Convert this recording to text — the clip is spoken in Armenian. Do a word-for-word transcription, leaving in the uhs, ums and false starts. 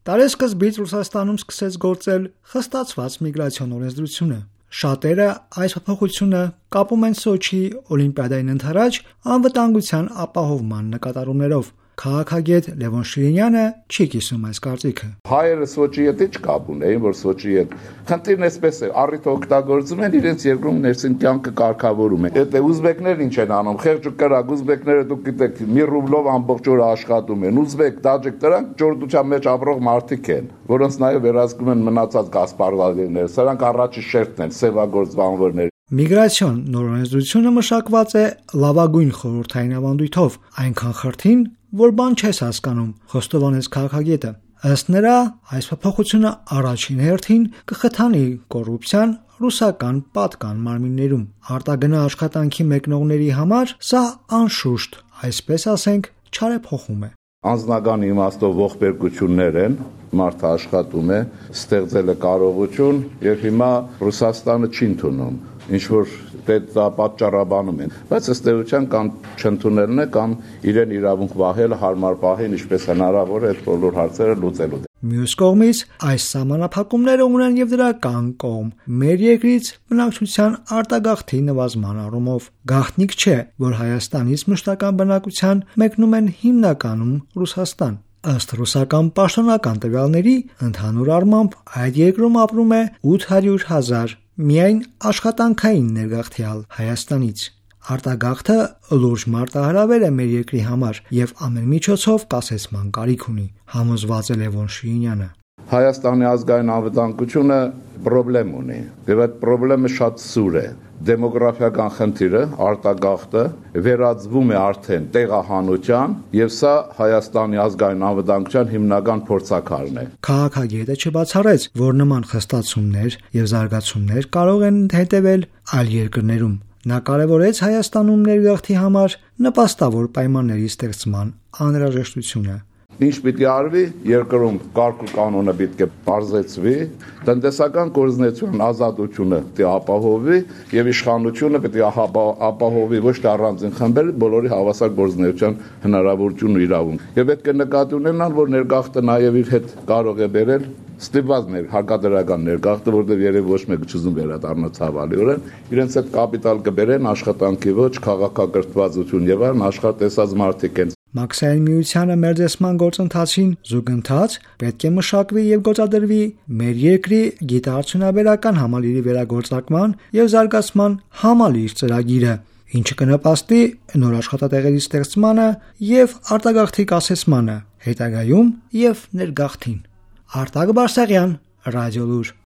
Տարեսկզբից Ռուսաստանում սկսեց գործել խստացված միգրացիոն օրենսդրությունը։ Շատերը այս փոփոխությունը կապում են Սոչիի օլիմպիադային ընդառաջ անվտանգության ապահովման նկատառումներով։ Քաղաքագետ Լևոն Շիրինյանը չի կիսում այս կարծիքը։ Հայերը Սոչիի հետ ինչ կապ ունեին, որ Սոչիի հետ խնդիրն էսպես է, առիթը օգտագործում են իրենց երկրում ներսին կյանքը կարգավորում են։ Եթե ուզբեկներն ինչ են անում, խեղճ ու կրակ ուզբեկները դուք գիտեք մի ռուբլով ամբողջ օրը աշխատում են։ Ուզբեկ, տաջիկ դրանք ճորտության մեջ ապրող մարդիկ են, որոնց նաև վերահսկում են մնացած գասպարվալիները։ Սրանք առաջի շերտն են, սևագործ բանվորներ։ Միգրացիոն նոր օրենսդրությունը մշակված է լավագույն խորհրդային ավանդույթով, այնքան խրթին, որ բան չես հասկանում, խոստովանեց քաղաքագետը։ Ըստ նրա, այս փոփոխությունը առաջին հերթին կխթանի կոռուպցիան ռուսական պատկան մարմիններում։ Արտագնա աշխատանքի մեկնողների համար սա անշուշտ, այսպես ասենք, չարեփոխում է։ Անձնական իմաստով ողբերգություններ են, մարդը աշխատում է, ստեղծել է կարողություն եւ հիմա Ռուսաստանը չի ընդունում, ինչ որ դա պատճառաբանում են, բայց ըստ էության կամ չընդունելն է, կամ իրեն իրավունք վահելը հարմար պահին, ինչպես հնարավոր է այդ բոլոր հարցերը լուծելու։ Մյուս կողմից այս սահմանափակումները ունեն եւ դրական կողմ մեր երկրից բնակչության արտագաղթի նվազման առումով։ Գաղտնիք չէ, որ Հայաստանից մշտական բնակության մեկնում են հիմնականում Ռուսաստան։ Ըստ ռուսական պաշտոնական տվյալների, ընդհանուր առմամբ այդ երկրում ապրում է ութ հարյուր հազար միայն աշխատանքային ներգաղթյալ Հայաստանից։ Արտագաղթը լուրջ մարտահրավեր է մեր երկրի համար եւ ամեն միջոցով կասեցման կարիք ունի, համոզված է Լևոն Շիրինյանը։ Հայաստանի ազգային անվտանգությունը խնդրեմ ունի, եւ այդ խնդրեմը շատ սուր է։ Դեմոգրաֆիական խնդիրը, արտագաղթը վերածվում է արդեն տեղահանության, եւ սա Հայաստանի ազգային անվտանգության հիմնական փորձաքարն է։ Քաղաքագետը չբացառեց, որ նման խստացումներ եւ զարգացումներ կարող են հետեւել այլ երկրներում։ Նա կարևորեց Հայաստանում ներգաղթի համար նպաստավոր պայմանների ստեղծման անհրաժեշտությունը։ Ինչ պիտի արվի, երկրում կարգ ու կանոնը պետք է բարձրացվի, տնտեսական գործունեության ազատությունը պետք է ապահովվի եւ իշխանությունը պետք է ապահովի ոչ թե առանձին խմբերի, բոլորի հավասար գործունեության հնարավորություն ու իրավունք։ Եվ պետք է նկատի ունենալ, որ ներգաղթը նաեւ իր հետ կարող է բերել ստիպված ներ հարկադրական ներգաղթը, որտեղ երևի ոչ մեկը չուզում վերադառնա ցավալիորեն, իրենց հետ կապիտալ կբերեն աշխատանքի ոչ, քաղաքակրթվածություն եւ այլն աշխատեցած մարդիկ են։ Մաքսային միությանը մերձեցման գործընթացին զուգընթաց պետք է մշակվի եւ գործադրվի մեր երկրի գիտաարդյունաբերական համալիրի վերագործարկման եւ զարգացման համալիր ծրագիրը, ինչը կնպաստի նոր աշխատատեղերի ստեղծմանը եւ արտագաղթի կասեցմանը, հետագայում եւ ներգաղթին։ Արտակ Բարսեղյան, Ռադիոլուր։